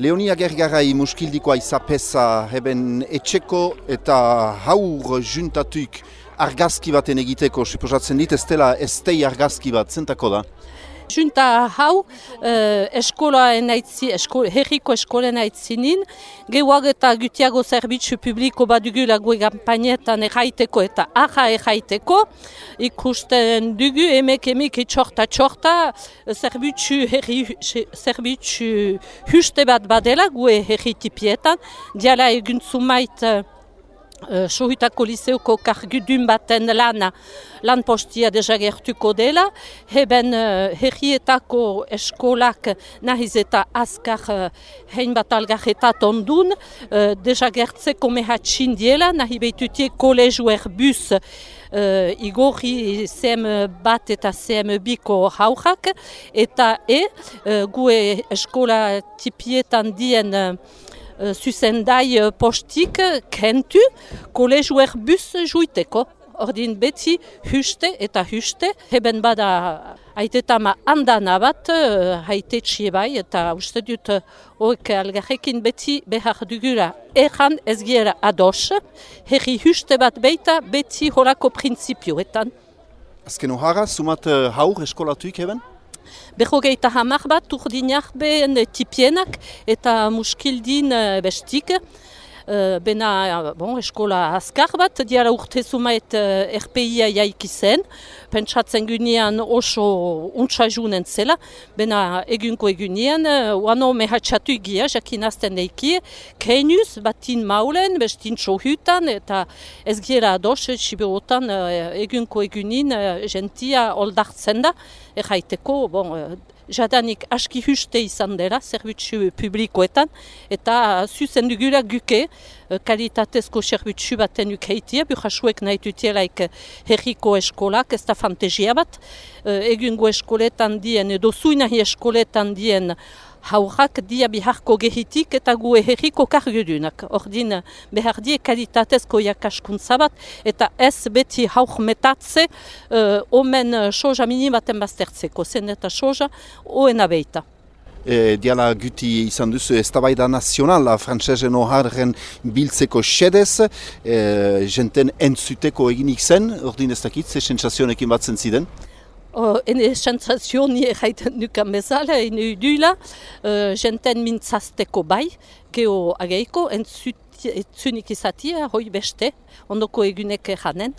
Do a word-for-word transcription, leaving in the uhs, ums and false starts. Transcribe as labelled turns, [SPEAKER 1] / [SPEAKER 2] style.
[SPEAKER 1] Leonia Gergarai muskildikoa izapeza heben etxeko eta haur juntatuik argazki baten egiteko, suposatzen dit, ez dela estei argazki bat, zentako da?
[SPEAKER 2] Junta hau, eh, eskolaen aitzi, esko, herriko eskolen aitzinin, gehuag eta gutiago zerbitzu publiko badugula gue kampainetan erraiteko eta aha erraiteko, ikusten dugu emek emek txorta txorta, zerbitzu herri, zerbitzu huste bat badela gue herri tipietan, diala egun zumait Uh, Sohutako liseoko kargudun baten lana, lan postia desagertuko dela, heben uh, herrietako eskolak nahiz eta azkar uh, hein bat algarretat ondun, uh, desagertzeko mehatxin diela, nahi behitutie kolegu erbus uh, igorri C M bat eta C M biko haurak, eta e, uh, gue eskola tipietan dien uh, zuzendai postik kentu kolegu erbus juiteko. Ordin beti huste eta huste, heben bada aitetama handana bat, haite txie bai, eta uste dut horrek algarrekin beti behar dugula erran ez giera ados, herri huste bat beita beti horako printzipioetan.
[SPEAKER 1] Azken ohara, sumat haur eskolatuik heben?
[SPEAKER 2] Berrogeita hamar bat urdinak behen tipienak eta muskildin bestik. Bena bon, eskola azkar bat, diara urte zumaet R P I-a jaiki zen, pentsatzen gunean oso untsa junen zela, bena egunko egunean, uano mehatxatu egia, jakin azten eiki, keinuz, batin maulen, bestin sohutan, eta ez gira ados, siberotan egunko egunin, gentia oldartzen da, erraiteko, bon, jadanik aski huste izan dela, zerbitzu publikoetan, eta zuzen dugula guke, kalitatezko zerbitzu baten ukeitia, burrasuek nahi dutielaik herriko eskolak, ez da fantasia bat, egungo eskoletan dien, edo zuinahi eskoletan dien, haurak dia biharko gehitik eta gue herriko kargudunak. Ordin behar die kalitatezko jakaskuntza bat eta ez beti hauk metatze uh, omen soja minimaten baztertzeko. Zen eta soja oena beita.
[SPEAKER 1] E, diala guti izan duzu eztabaida nazionala frantsesen oharren biltzeko xedez, e, jenten entzuteko eginik zen, ordin ez dakit, ze sentsazionekin batzen ziren?
[SPEAKER 2] Oh, ene sentsazio ni erraiten dukan bezala, ene udula, uh, jenten mintzazteko bai, geho ageiko, entzunik izatia, hoi beste, ondoko egunek janen.